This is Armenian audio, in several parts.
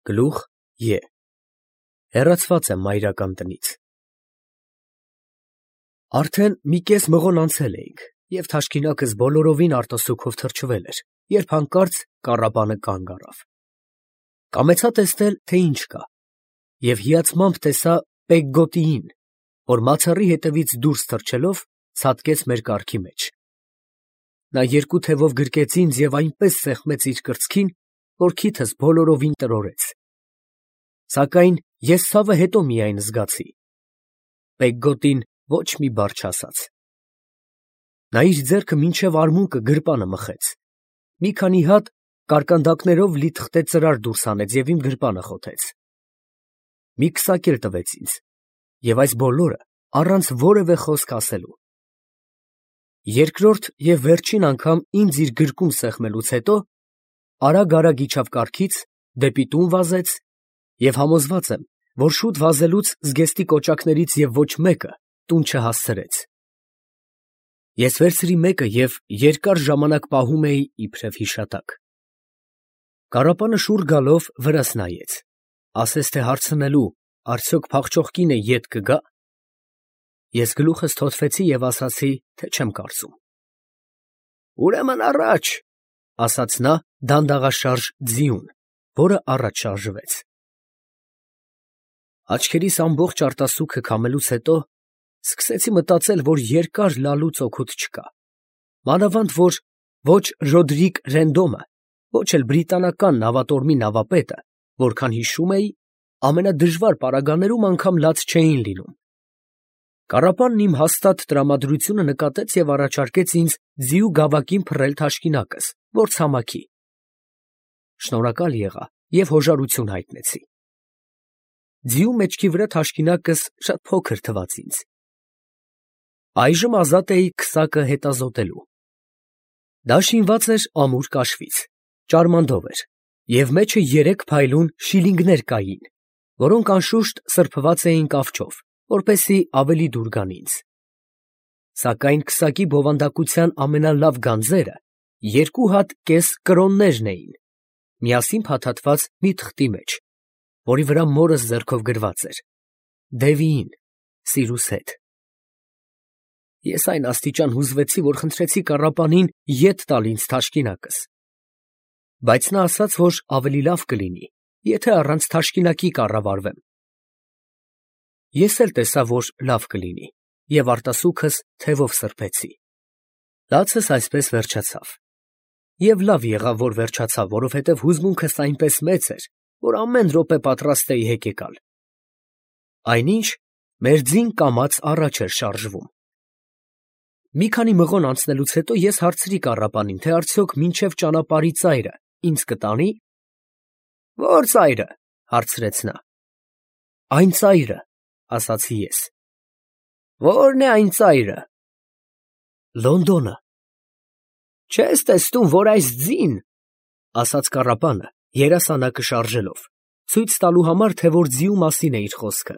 Գլուխ Ե Հեռացված եմ մայրական տնից։ Արդեն մի կես մղոն անցել էինք, և թաշկինակս բոլորովին արտասուքով թրջվել էր, երբ հանկարծ կառապանը կանգ առավ։ Կամեցա տեսնել, թե ինչ կա, և հիացմամբ տեսա Պեգգոտիին, որ մացառի հետևից դուրս թռչելով ցատկեց մեր կառքի մեջ։ Նա երկու թևով գրկեց ինձ և այնպես սեղմեց իր կրծքին, որ քիթս բոլորովին տրորեց։ Սակայն ես ցավը հետո միայն զգացի։ Պեգգոտին ոչ մի բառ չասաց։ Նա իր ձեռքը մինչև արմունկը գրպանը մխեց, մի քանի հատ կարկանդակներով լի թղթե ծրար դուրս հանեց և իմ գրպանը խոթեց։ Մի քսակ էլ տվեց ինձ, և այս բոլորը առանց որևէ խոսք ասելու։ Երկրորդ և վերջին անգամ ինձ իր գրկում սեղմելուց հետո արագ իջավ կառքից, դեպի տուն վազեց, և համոզված եմ, որ շուտ վազելուց զգեստի կոճակներից և ոչ մեկը տուն չհասցրեց։ Ես վերցրի մեկը և երկար ժամանակ պահում էի իբրև հիշատակ։ Կառապանը շուռ գալով վրաս նայեց, ասեց, թե հարցնելու արդյոք փախչող կինը ետ կգա։ Ես գլուխս թոթվեցի և ասացի, թե չեմ կարծում։ Ուրեմն առաջ, ասաց նա դանդաղաշարժ ձիուն, որը առաջ շարժվեց։ Աչքերիս ամբողջ արտասուքը քամելուց հետո սկսեցի մտածել, որ երկար լալուց օգուտ չկա, մանավանդ որ ոչ Ռոդրիկ Ռենդոմը, ոչ էլ բրիտանական նավատորմի նավապետը, որքան հիշում էի, ամենադժվար պարագաներում անգամ լաց չէին լինում։ Կառապանն իմ հաստատ տրամադրությունը նկատեց և առաջարկեց ինձ ձիու գավակին փռել թաշկինակս, որ ցամաքի։ Շնորհակալ եղա և հոժարություն հայտնեցի։ Ձիու մեջքի վրա թաշկինակս շատ փոքր թվաց ինձ։ Այժմ ազատ էի քսակը հետազոտելու։ Դա շինված էր ամուր կաշվից, ճարմանդով էր, և մեջը 3 փայլուն շիլինգներ կային, որոնք անշուշտ սրբված էին կավչով, որպեսզի ավելի դուր գան ինձ։ Սակայն քսակի բովանդակության ամենալավ գանձերը 2 հատ կես կրոններն էին, միասին փաթաթված մի թղթի մեջ, որի վրա մորս ձեռքով գրված էր. Դևիին, սիրուս հետ։ Ես այն աստիճան հուզվեցի, որ խնդրեցի կառապանին ետ տալ ինձ թաշկինակս, բայց նա ասաց, որ ավելի լավ կլինի, եթե առանց թաշկինակի կառավարվեմ։ Ես էլ տեսա, որ լավ կլինի, և արտասուքս թևով սրբեցի։ Լացս այսպես վերջացավ։ Եվ լավ եղավ, որ վերջացավ, որովհետև հուզմունքս այնպես մեծ էր, որ ամեն րոպե պատրաստ էի հեկեկալ։ Այնինչ մեր ձին կամաց առաջ էր շարժվում։ Մի քանի մղոն անցնելուց հետո ես հարցրի կառապանին, թե արդյոք մինչև ճանապարհի ծայրը ինձ կտանի։ Ո՞ր ծայրը, հարցրեց նա։ Այն ծայրը, ասացի ես։ Ո՞րն է այն ծայրը։ Լոնդոնը։ Չես տեսնում, որ այս ձին, ասաց կառապանը, երասանակը շարժելով, ցույց տալու համար, թե որ ձիու մասին է իր խոսքը։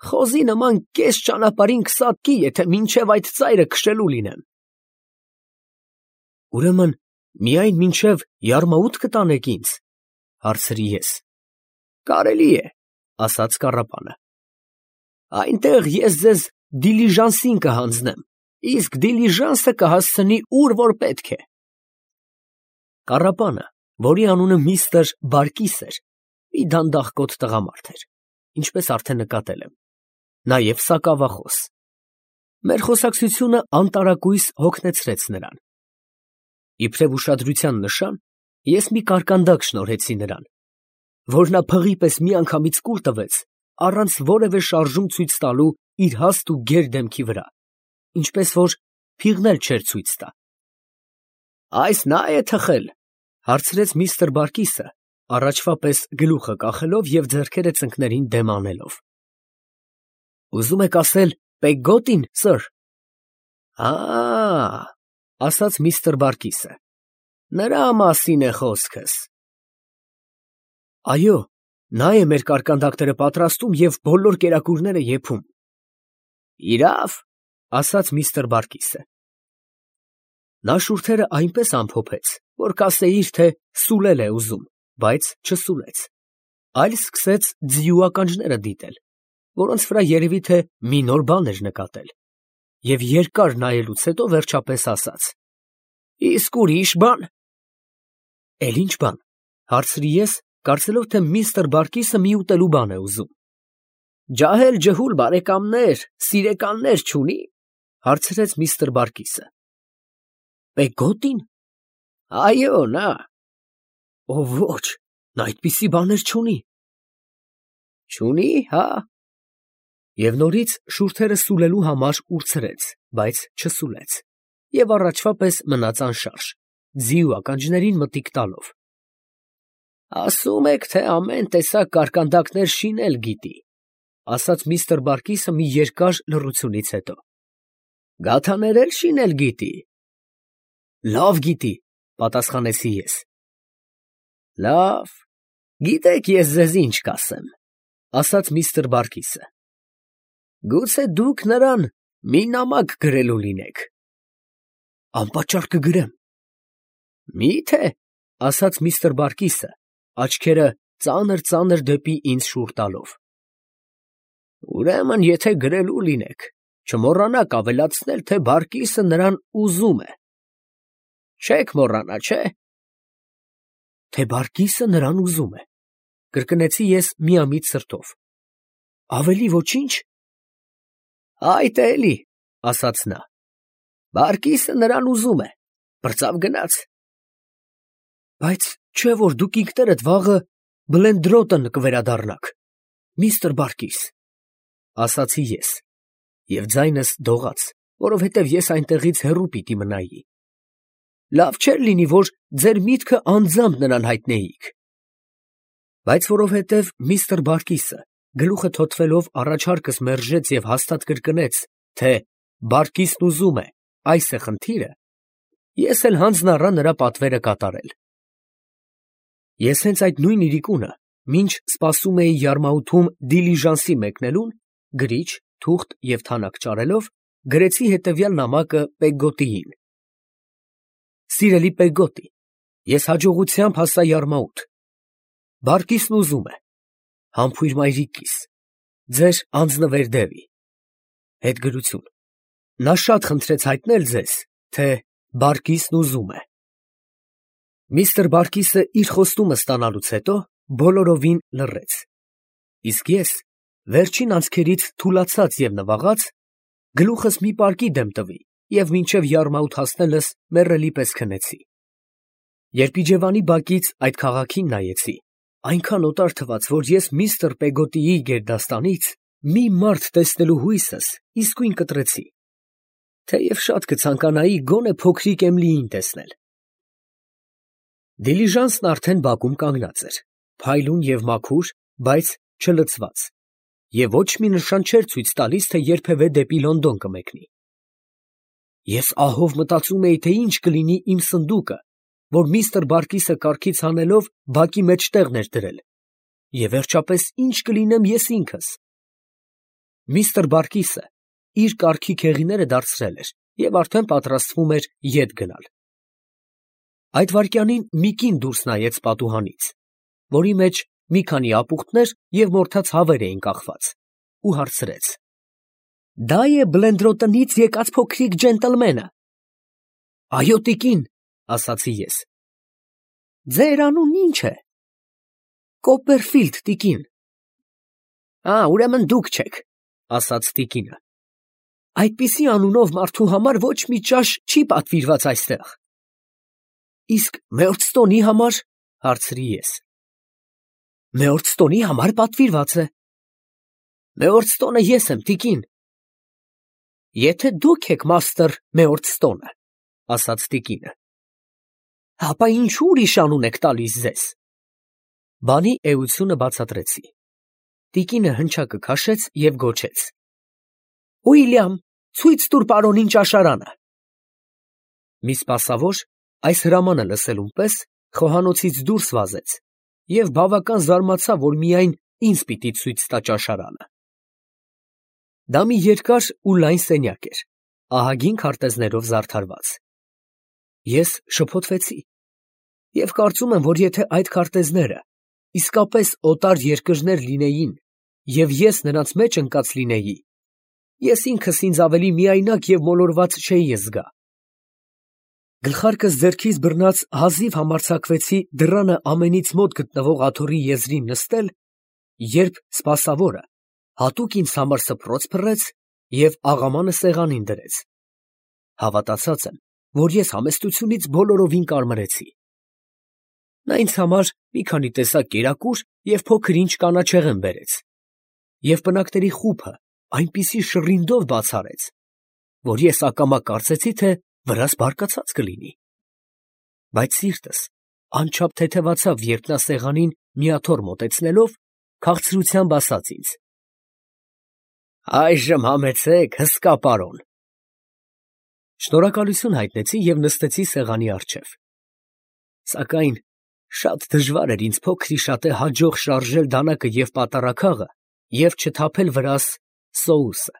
Խոզի նման կես ճանապարհին կսատկի, եթե մինչև այդ ծայրը քշելու լինեմ։ Ուրեմն միայն մինչև Յարմաուտ կտանեք ինձ, հարցրի ես։ Կարելի է, ասաց կառապանը։ Այնտեղ ես ձեզ դիլիժանսին կհանձնեմ, իսկ դիլիժանսը կհասցնի ուր որ պետք է։ Կառապանը, որի անունը միստր Բարկիս էր, մի դանդաղկոտ տղամարդ էր, ինչպես արդեն նկատել եմ, նաև սակավախոս։ Մեր խոսակցությունը անտարակույս հոգնեցրեց նրան։ Իբրև ուշադրության նշան, ես մի կարկանդակ շնորհեցի նրան, որ նա փղի պես միանգամից կուլ տվեց, առանց որևէ շարժում ցույց տալու իր հաստ ու գեր դեմքի վրա, ինչպես որ փիղն էլ չէր ցույց տա։ Այս նա է թխել, հարցրեց միստր Բարկիսը, առաջվա պես գլուխը կախելով և ձեռքերը ծնկներին դեմ անելով։ Ուզում եք ասել Պեգգոտին, սըր։ Ասաց միստր Բարկիսը, նրա մասին է խոսքս։ Այո, նա է մեր կարկանդակները պատրաստում և բոլոր կերակուրները եփում։ Իրավ, ասաց միստր Բարկիսը։ Նա շուրթերը այնպես ամփոփեց, որ կասեիր, թե սուլել է ուզում, բայց չսուլեց, այլ սկսեց ձիու ականջները դիտել, որոնց վրա երևի թե մի նոր բան էր նկատել, և երկար նայելուց հետո վերջապես ասաց. «Իսկ ուրիշ բան»։ «Էլ ինչ բան», հարցրի ես, կարծելով, թե միստր Բարկիսը մի ուտելու բան է ուզում։ «Ջահել֊ջհուլ բարեկամներ, սիրեկաններ չունի՞, հարցրեց միստր Բարկիսը։ «Պեգոտի՞ն»։ «Այո, նա»։ «Ո ոչ, նա այդպիսի բաներ չունի»։ «Չունի, հա»։ Եվ նորից շուրթերը սուլելու համար ուրցրեց, բայց չսուլեց, և առաջվա պես մնաց անշարժ, ձիու ականջներին մտիկ տալով։ «Ասում եք, թե ամեն տեսակ կարկանդակներ շինել գիտի», ասաց միստր Բարկիսը մի երկար լռությունից հետո։ «Գաթաներ էլ շինել գիտի»։ «Լավ գիտի», պատասխանեցի ես։ «Լավ, գիտեք ես ձեզ ինչ կասեմ», ասաց միստր Բարկիսը։ «Գուցե դուք նրան մի նամակ գրելու լինեք»։ «Անպատճառ կգրեմ»։ «Մի՞թե», ասաց միստր Բարկիսը, աչքերը ծանր դեպի ինձ շուռ տալով։ «Ուրեմն, եթե գրելու լինեք, չմոռանաք ավելացնել, թե Բարկիսը նրան ուզում է։ Չեք մոռանա, չէ՞։ Թե Բարկիսը նրան ուզում է, կրկնեցի ես միամիտ սրտով։ Ավելի ոչինչ։ Այդ էլի, ասաց նա, Բարկիսը նրան ուզում է, բրծավ գնաց։ Բայց չէ՞ որ դուք ինքներդ վաղը Բլենդրոտն կվերադառնաք, միստր Բարկիս, ասացի ես, և ձայնս դողաց, որովհետև ես այնտեղից հեռու պիտի մնայի։ Լավ չէր լինի, որ ձեր միտքը անձամբ նրան հայտնեիք։ Բայց որովհետև միստր Բարկիսը գլուխը թոթվելով առաջարկս մերժեց և հաստատ կրկնեց, թե Բարկիսն ուզում է, այս է խնդիրը, ես էլ հանձն առա նրա պատվերը կատարել։ Ես հենց այդ նույն իրիկունը, մինչ սպասում էի Յարմաութում դիլիժանսի մեկնելուն, գրիչ, թուղթ և թանակ ճարելով, գրեցի հետևյալ նամակը Պեգոտիին. Սիրելի Պեգոտի, ես հաջողությամբ հասա Յարմաութ։ Բարկիսն ուզում է, համբույր մայրիկիս, ձեր անձնվեր դևի։ Հետգրություն. նա շատ խնդրեց հայտնել ձեզ, թե Բարկիսն ուզում է։ Միստր Բարկիսը իր խոստումը ստանալուց հետո բոլորովին լռեց, իսկ ես, վերջին անցքերից թուլացած և նվաղած, գլուխս մի պարկի դեմ տվի և մինչև Յարմաութ հասնելս մեռելի պես քնեցի։ Երբ իջևանի բակից այդ քաղաքին նայեցի, այնքան օտար թվաց, որ ես միստր Պեգոտիի գերդաստանից մի մարդ տեսնելու հույսս իսկույն կտրեցի, թեև շատ կցանկանայի գոնե փոքրիկ Էմիլիին տեսնել։ Դիլիժանսն արդեն բակում կանգնած էր, փայլուն և մաքուր, բայց չլցված, և ոչ մի նշան չէր ցույց տալիս, թե երբևէ դեպի Լոնդոն կմեկնի։ Ես ահով մտածում էի, թե ինչ կլինի իմ սնդուկը, որ միստր Բարկիսը կարգից հանելով բակի մեջտեղն էր դրել, և վերջապես ինչ կլինեմ ես ինքս։ Միստր Բարկիսը իր կարգի քեղիները դարձրել էր և արդեն պատրաստվում էր ետ գնալ։ Այդ վայրկյանին մի կին դուրս նայեց պատուհանից, որի մեջ մի քանի ապուխտներ և մորթած հավեր էին կախված, ու հարցրեց. «Դա է Բլենդրոտնից եկած փոքրիկ ջենտլմենը»։ «Այո, տիկին», ասացի ես։ «Ձեր անունն ի՞նչ է»։ «Կոպերֆիլդ, տիկին»։ Ուրեմն դուք չեք, ասաց տիկինը։ «Այդպիսի անունով մարդու համար ոչ մի ճաշ չի պատվիրված այստեղ»։ «Իսկ Մեյորստոնի համար»։ հարցրի ես։ «Մեյորստոնի համար պատվիրված է»։ «Մեյորստոնը ես եմ, տիկին»։ «Եթե դուք եք մաստր Մեյորստոնը», ասաց տիկինը, «ապա ինչու ուրիշ անուն եք տալիս ձեզ»։ Բանի էությունը բացատրեցի։ Տիկինը հնչակը քաշեց և գոչեց. «Ուիլյամ, ցույց տուր պարոնին ճաշարանը»։ Մի սպասավոր, այս հրամանը լսելուն պես, խոհանոցից դուրս վազեց և բավական զարմացավ, որ միայն ինձ պիտի ցույց տա ճաշարանը։ Դա մի երկար ու լայն սենյակ էր, ահագին քարտեզներով զարդարված։ Ես շփոթվեցի։ Եվ կարծում եմ, որ եթե այդ քարտեզները իսկապես օտար երկրներ լինեին, և ես նրանց մեջ ընկած լինեի, ես ինքս ինձ ավելի միայնակ և մոլորված չէի զգա։ Գլխարկս ձեռքից բռնած հազիվ համարձակվեցի դռանը ամենից մոտ գտնվող աթոռի եզրին նստել, երբ սպասավորը հատուկ ինձ համար սփռոց փռեց և աղամանը սեղանին դրեց։ Հավատացած եմ, որ ես համեստությունից բոլորովին կարմրեցի։ Նա ինձ համար մի քանի տեսակ կերակուր և փոքր-ինչ կանաչեղեն բերեց, և պնակների խուփը այնպիսի շռինդով բաց արեց, որ ես ակամա կարծեցի, թե վրաս բարկացած կլինի։ Բայց սիրտս անչափ թեթևացավ, երբ նա սեղանին մի աթոռ մոտեցնելով, քաղցրությամբ ասաց ինձ. «Այժմ համեցեք, հսկա պարոն»։ Շնորհակալություն հայտնեցի և նստեցի սեղանի առջև։ Սակայն շատ դժվար էր ինձ փոքր-ի-շատե հաջող շարժել դանակը և պատառաքաղը և չթափել վրաս սոուսը,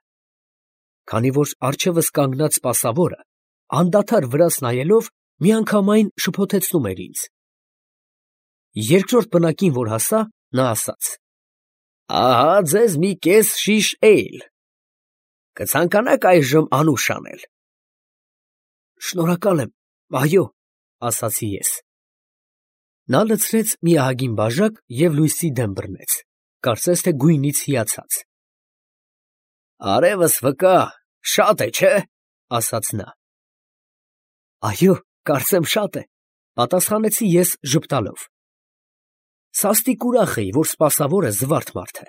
քանի որ առջևս կանգնած սպասավորը անդադար վրաս նայելով միանգամայն շփոթեցնում էր ինձ։ Երկրորդ պնակին որ հասա, նա ասաց. «Ահա ձեզ մի կես շիշ էյլ. կցանկանա՞ք այժմ անուշ անել»։ «Շնորհակալ եմ, այո», ասացի ես։ Նա լցրեց մի ահագին բաժակ և լույսի դեմ բռնեց, կարծես թե գույնից հիացած։ «Արևս վկա, շատ է, չէ՞, ասաց նա։ «Այո, կարծեմ շատ է», պատասխանեցի ես ժպտալով։ Սաստիկ ուրախ էի, որ սպասավորը զվարթ մարդ է։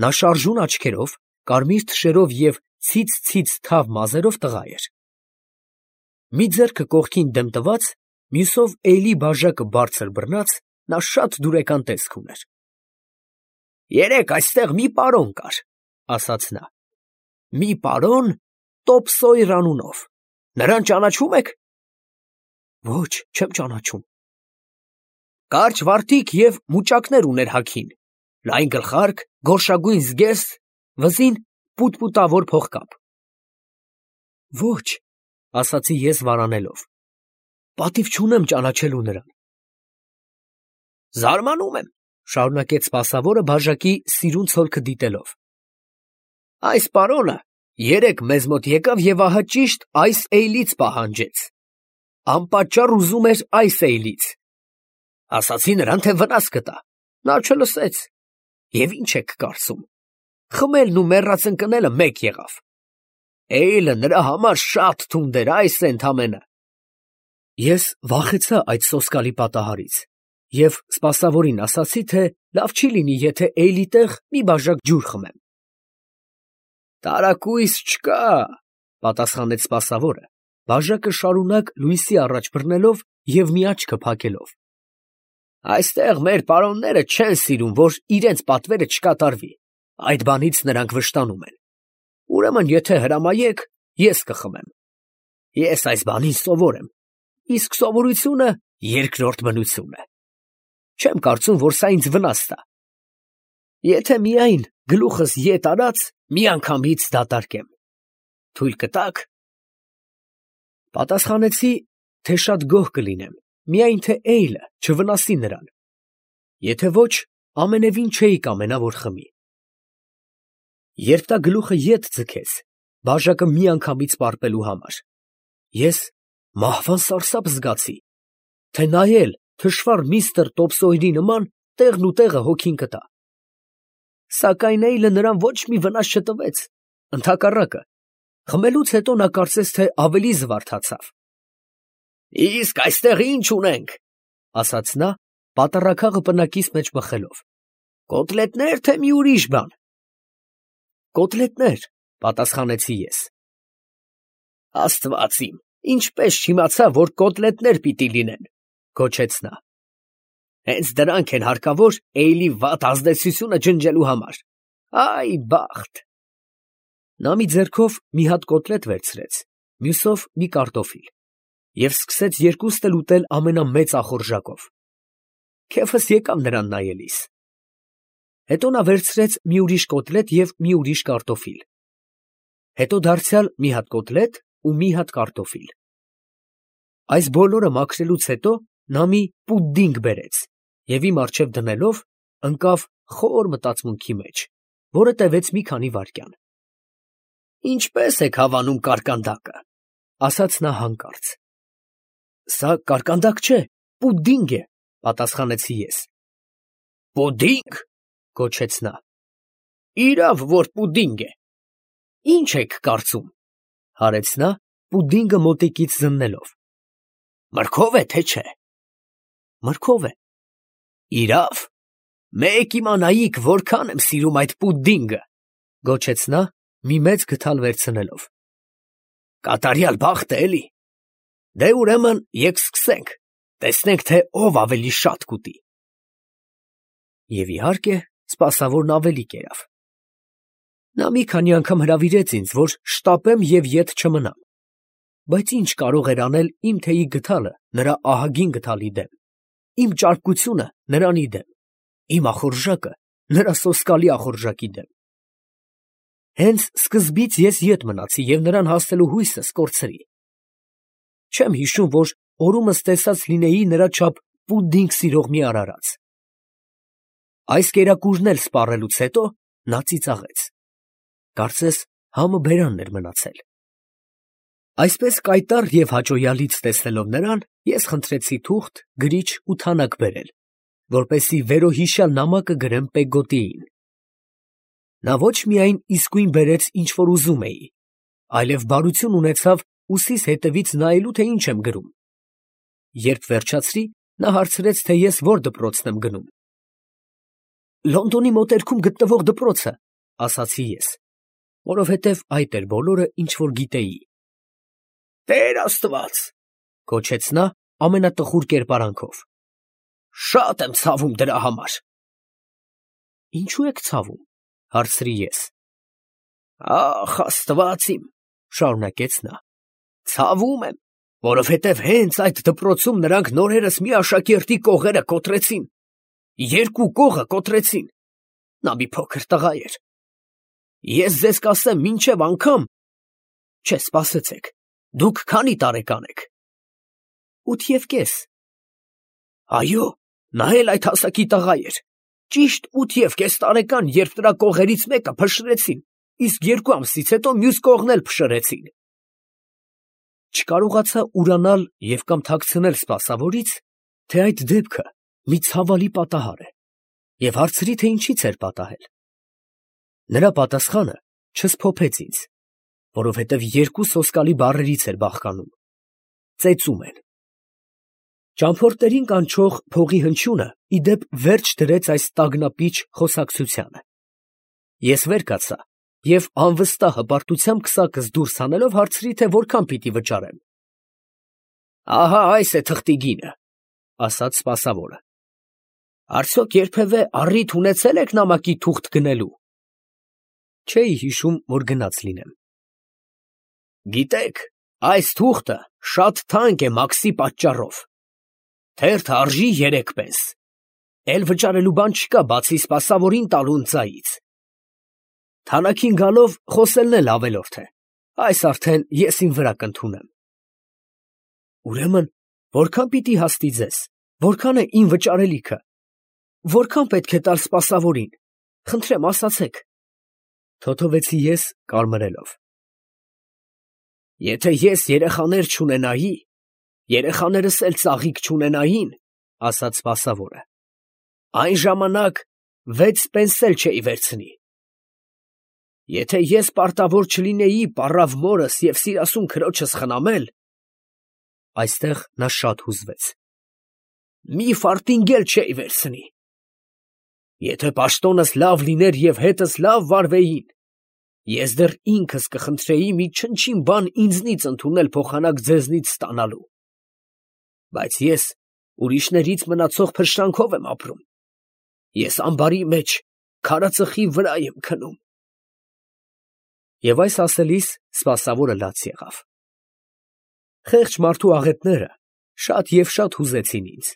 Նա շարժուն աչքերով, կարմիր թշերով և ցից թավ մազերով տղա էր։ Մի ձեռքը կողքին դեմ տված, մյուսով էյլի բաժակը բարձր բռնած, նա շատ դուրեկան տեսք ուներ։ «Երեկ այստեղ մի պարոն կար», ասաց նա։ «Մի պարոն Տոպսոյր անունով. նրան ճանաչում եք»։ «Ոչ, չեմ ճանաչում»։ «Կարճ վարտիք և մուճակներ ուներ հագին, լայն գլխարկ, գորշագույն զգեստ, վզին պուտպուտավոր փողկապ»։ «Ոչ», ասացի ես վարանելով, «պատիվ չունեմ ճանաչելու նրան»։ «Զարմանում եմ», շարունակեց սպասավորը բաժակի սիրուն ցոլքը դիտելով։ «Այս պարոնը երեկ մեզ մոտ եկավ և ահա ճիշտ այս էյլից պահանջեց. անպատճառ ուզում էր այս էյլից։ Ասացի նրան, թե վնաս կտա, նա չլսեց։ Եվ ի՞նչ եք կարծում, խմելն ու մեռած ընկնելը մեկ եղավ։ Էյլը նրա համար շատ թունդ էր, այս է ընդամենը»։ Ես վախեցա այդ սոսկալի պատահարից և սպասավորին ասացի, թե լավ չի լինի, եթե էյլի տեղ մի բաժակ ջուր խմեմ։ «Տարակույս չկա», պատասխանեց սպասավորը, բաժակը շարունակ լույսի առաջ բռնելով և մի աչքը փակելով։ «Այստեղ մեր պարոնները չեն սիրում, որ իրենց պատվերը չկատարվի, այդ բանից նրանք վշտանում են։ Ուրեմն եթե հրամայեք, ես կխմեմ։ Ես այս բանին սովոր եմ, իսկ սովորությունը երկրորդ բնություն է։ Չեմ կարծում, որ սա ինձ վնաս տա։ Եթե միայն գլուխս ետ արած, միանգամից դատարկեմ։ Թույլ կտա՞ք»։ Պատասխանեցի, թե շատ գոհ կլինեմ, միայն թե էյլը չվնասի նրան։ Եթե ոչ, ամենևին չէի կամենա, որ խմի։ Երբ նա գլուխը ետ ձգեց, բաժակը միանգամից պարպելու համար, ես մահվան սարսափ զգացի, թե նայել թշվառ միստր Տոպսոյրի նման տեղն ու տեղը հոգին կտա։ Սակայն էյլը նրան ոչ մի վնաս չտվեց, ընդհակառակը, խմելուց հետո նա կարծես թե ավելի զվարթացավ։ «Իսկ այստեղ ի՞նչ ունենք», ասաց նա, պատառաքաղը պնակիս մեջ մխելով։ «Կոտլետնե՞ր, թե մի ուրիշ բան»։ «Կոտլետներ», պատասխանեցի ես։ «Աստված իմ, ինչպես չիմացա, որ կոտլետներ պիտի լինեն», գոչեց նա։ «Հենց դրանք են հարկավոր էյլի վատ ազդեցությունը ջնջելու համար։ Այ բախտ»։ Նա մի ձեռքով մի հատ կոտլետ վերցրեց, մյուսով մի կարտոֆիլ և սկսեց երկուսն էլ ուտել ամենամեծ ախորժակով։ Քեֆս եկավ նրան նայելիս։ Հետո նա վերցրեց մի ուրիշ կոտլետ և մի ուրիշ կարտոֆիլ։ Հետո դարձյալ մի հատ կոտլետ ու մի հատ կարտոֆիլ։ Այս բոլորը մաքրելուց հետո նա մի պուդինգ բերեց և իմ առջև դնելով ընկավ խոր մտածմունքի մեջ, որը տևեց մի քանի վայրկյան։ «Ինչպե՞ս եք հավանում կարկանդակը», ֊ ասաց նա հանկարծ։ «Սա կարկանդակ չէ, պուդինգ է», ֊ պատասխանեցի ես։ «Պուդինգ», ֊ գոչեց նա։ «Իրավ, որ պուդինգ է։ Ի՞նչ եք կարծում», ֊ հարեց նա, պուդինգը մոտիկից զննելով։ «Մրգով է, թե չէ»։ «Մրգով է»։ «Իրավ, մեկ իմանայիք որքան եմ սիրում այդ պուդինգը», ֊ գոչեց նա, մի մեծ գդալ վերցնելով։ «Կատարյալ բախտ է, էլի։ Դե ուրեմն եկ սկսենք, տեսնենք, թե ով ավելի շատ կուտի»։ Եվ իհարկե, սպասավորն ավելի կերավ։ Նա մի քանի անգամ հրավիրեց ինձ, որ շտապեմ և ետ չմնամ, բայց ինչ կարող էր անել իմ թեյի գդալը նրա ահագին գդալի դեմ, իմ ճարպկությունը նրանի դեմ, իմ ախորժակը նրա սոսկալի ախորժակի դեմ։ Հենց սկզբից ես ետ մնացի և նրան հասնելու հույսս կորցրի։ Չեմ հիշում, որ օրումս տեսած լինեի նրա չափ պուդինգ սիրող մի արարած։ Այս կերակուրն էլ սպառելուց հետո նա ծիծաղեց։ Կարծես համը բերանն էր մնացել։ Այսպես կայտառ և հաճոյալից տեսնելով նրան, ես խնդրեցի թուղթ, գրիչ ու թանակ բերել, որպեսզի վերոհիշյալ նամակը գրեմ Պեգոտիին։ Նա ոչ միայն իսկույն բերեց, ինչ որ ուզում էի, այլև բարություն ունեցավ ուսիս հետևից նայելու, թե ինչ եմ գրում։ Երբ վերջացրի, նա հարցրեց, թե ես որ դպրոցն եմ գնում։ «Լոնդոնի մոտերքում գտնվող դպրոցը», ֊ ասացի ես, որովհետև այդ էր բոլորը, ինչ որ գիտեի։ «Տեր Աստված», ֊ գոչեց նա ամենատխուր կերպարանքով։ «Շատ եմ ցավում դրա համար»։ «Ինչու եք ցավում», ֊ հարցրի ես։ «Ախ, Աստված իմ», ֊ շարունակեց նա, «ցավում եմ, որովհետև հենց այդ դպրոցում նրանք նորերս մի աշակերտի կողերը կոտրեցին, երկու կողը կոտրեցին, նա մի փոքր տղա էր։ Ես ձեզ կասեմ մինչև անգամ, չէ, սպասեցեք, դուք քանի տարեկան եք։ 8.5։ Այո, նա էլ այդ հասակի տղա էր, ճիշտ 8.5 տարեկան, երբ նրա կողերից մեկը փշրեցին, իսկ 2 ամսից հետո մյուս կողն էլ փշրեցին։ Չկարողացա ուրանալ և կամ թաքցնել սպասավորից, թե այդ դեպքը մի ցավալի պատահար է, և հարցրի, թե ինչից էր պատահել։ Նրա պատասխանը չսփոփեց ինձ, որովհետև երկու սոսկալի բառերից էր բաղկանում. ծեծում են։ Ճամփորդներին կանչող փողի հնչյունը ի դեպ վերջ դրեց այս տագնապիչ խոսակցությանը։ Ես վեր կացա և անվստահ հպարտությամբ քսակս դուրս հանելով հարցրի, թե որքան պիտի վճարեմ։ «Ահա այս է թղթի գինը», ֊ ասաց սպասավորը։ «Արդյոք երբևէ առիթ ունեցել եք նամակի թուղթ գնելու»։ Չէի հիշում, որ գնաց լինեմ։ «Գիտեք, այս թուղթը շատ թանկ է մաքսի պատճառով։ Թերթը արժի 3 պենս։ Էլ վճարելու բան չկա, բացի սպասավորին տալու ընծայից։ Թանակին գալով խոսելն էլ ավելորդ է, այս արդեն ես իմ վրա կընդունեմ։ Ուրեմն, որքան պիտի հասնի ձեզ, որքան է իմ վճարելիքը, որքան պետք է տալ սպասավորին, խնդրեմ ասացեք, թոթովեցի ես կարմրելով։ Եթե ես երեխաներ չունենայի, երեխաներս էլ ծաղիկ չունենային, ասաց սպասավորը, այն ժամանակ 6 պենս էլ չէի վերցնի։ Եթե ես պարտավոր չլինեի պառավ մորս և սիրասուն քրոջս խնամել, այստեղ նա շատ հուզվեց, մի ֆարտինգ էլ չէի վերցնի։ Եթե պաշտոնս լավ լիներ և հետս լավ վարվեին, ես դեռ ինքս կխնդրեի մի չնչին բան ինձնից ընդունել փոխանակ ձեզնից ստանալու։ Բայց ես ուրիշներից մնացող փշրանքով եմ ապրում։ Ես ամբարի մեջ քարածխի վրա եմ քնում։ Եվ այս ասելիս սպասավորը լաց եղավ։ Խեղճ մարդու աղետները շատ և շատ հուզեցին ինձ,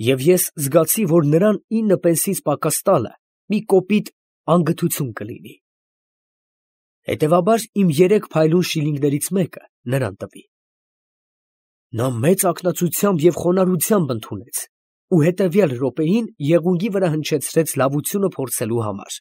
և ես զգացի, որ նրան 9 պենսից պակաս տալը մի կոպիտ անգթություն կլինի։ Հետևաբար իմ 3 փայլուն շիլինգներից մեկը նրան տվի։ Նա մեծ ակնածությամբ և խոնարհությամբ ընդունեց ու հետևյալ րոպեին եղունգի վրա հնչեցրեց լավությունը փորձելու համար։